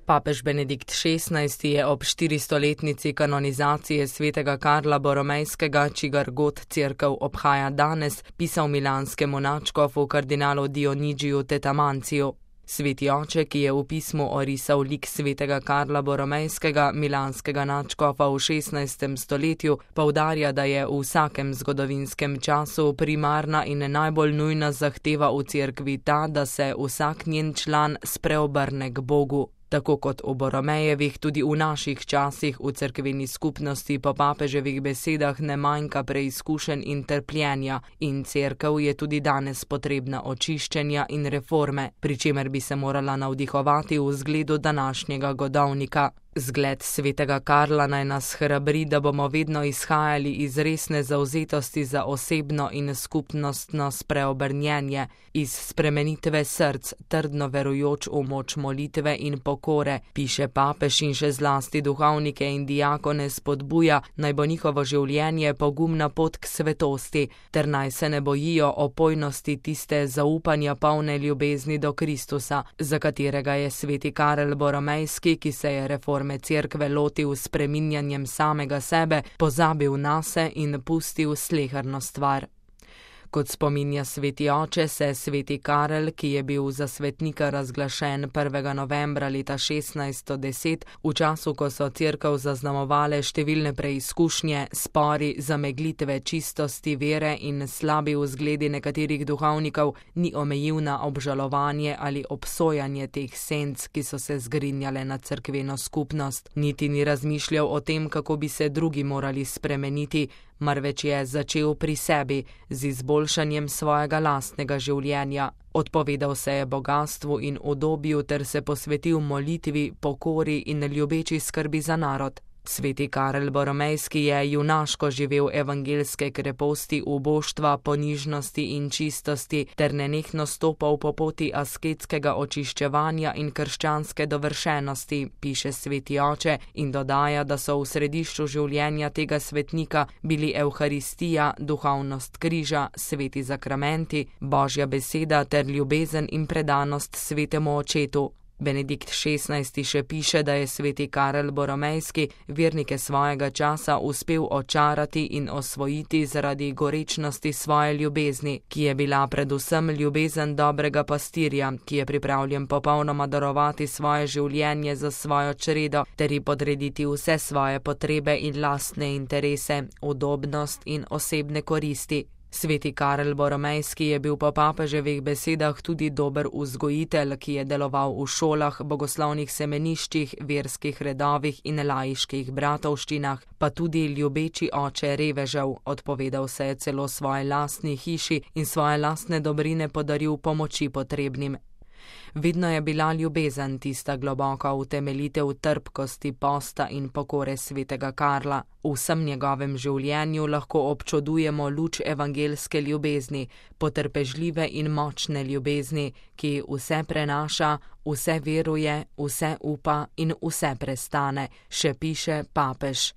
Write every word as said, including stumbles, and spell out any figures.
Papež Benedikt šestnajsti je ob štiristoletnici kanonizacije svetega Karla Boromejskega, čigar god cerkev obhaja danes, pisal milanskemu nadškofu kardinalu Dionigiju Tetamanciju. Sveti oče, ki je v pismu orisal lik svetega Karla Boromejskega, milanskega nadškofa v šestnajstem stoletju, poudarja, da je v vsakem zgodovinskem času primarna in najbolj nujna zahteva v cerkvi ta, da se vsak njen član spreobrne k Bogu. Tako kot v Boromejevih, tudi v naših časih v cerkveni skupnosti po papeževih besedah ne manjka preizkušenj in trpljenja in cerkev je tudi danes potrebna očiščenja in reforme, pri čemer bi se morala navdihovati v zgledu današnjega godovnika. Zgled svetega Karla naj nas hrabri, da bomo vedno izhajali iz resne zavzetosti za osebno in skupnostno spreobrnjenje, iz spremenitve src, trdno verujoč v moč molitve in pokore, piše papež in še zlasti duhovnike in diakone spodbuja, naj bo njihovo življenje pogumna pot k svetosti, ter naj se ne bojijo opojnosti tiste zaupanja polne ljubezni do Kristusa, za katerega je sveti Karel Boromejski, ki se je reforme cerkve lotil s spreminjanjem samega sebe, pozabil nase in pustil sleherno stvar. Kot spominja sveti oče, se sveti Karel, ki je bil za svetnika razglašen prvega novembra leta šestnajststo deset, v času, ko so cerkev zaznamovale številne preizkušnje, spori, zameglitve čistosti vere in slabi vzgledi nekaterih duhovnikov, ni omejil na obžalovanje ali obsojanje teh senc, ki so se zgrinjale na cerkveno skupnost, niti ni razmišljal o tem, kako bi se drugi morali spremeniti, marveč je začel pri sebi z izboljšanjem svojega lastnega življenja. Odpovedal se je bogastvu in udobju ter se posvetil molitvi, pokori in ljubeči skrbi za narod. Sveti Karel Boromejski je junaško živel evangelske kreposti, uboštva, ponižnosti in čistosti ter nenehno stopal po poti asketskega očiščevanja in krščanske dovršenosti, piše sveti oče in dodaja, da so v središču življenja tega svetnika bili evharistija, duhovnost križa, sveti zakramenti, Božja beseda ter ljubezen in predanost svetemu očetu. Benedikt šestnajsti še piše, da je sveti Karel Boromejski vernike svojega časa uspel očarati in osvojiti zaradi gorečnosti svoje ljubezni, ki je bila predvsem ljubezen dobrega pastirja, ki je pripravljen popolnoma darovati svoje življenje za svojo čredo ter ji podrediti vse svoje potrebe in lastne interese, udobnost in osebne koristi. Sveti Karel Boromejski je bil po papeževih besedah tudi dober vzgojitelj, ki je deloval v šolah, bogoslovnih semeniščih, verskih redovih in laiških bratovščinah, pa tudi ljubeči oče revežev, odpovedal se je celo svoje lastni hiši in svoje lastne dobrine podaril pomoči potrebnim. Vedno je bila ljubezen tista globoka utemeljitev trpkosti, posta in pokore svetega Karla. V vsem njegovem življenju lahko občudujemo luč evangelske ljubezni, potrpežljive in močne ljubezni, ki vse prenaša, vse veruje, vse upa in vse prestane, še piše papež.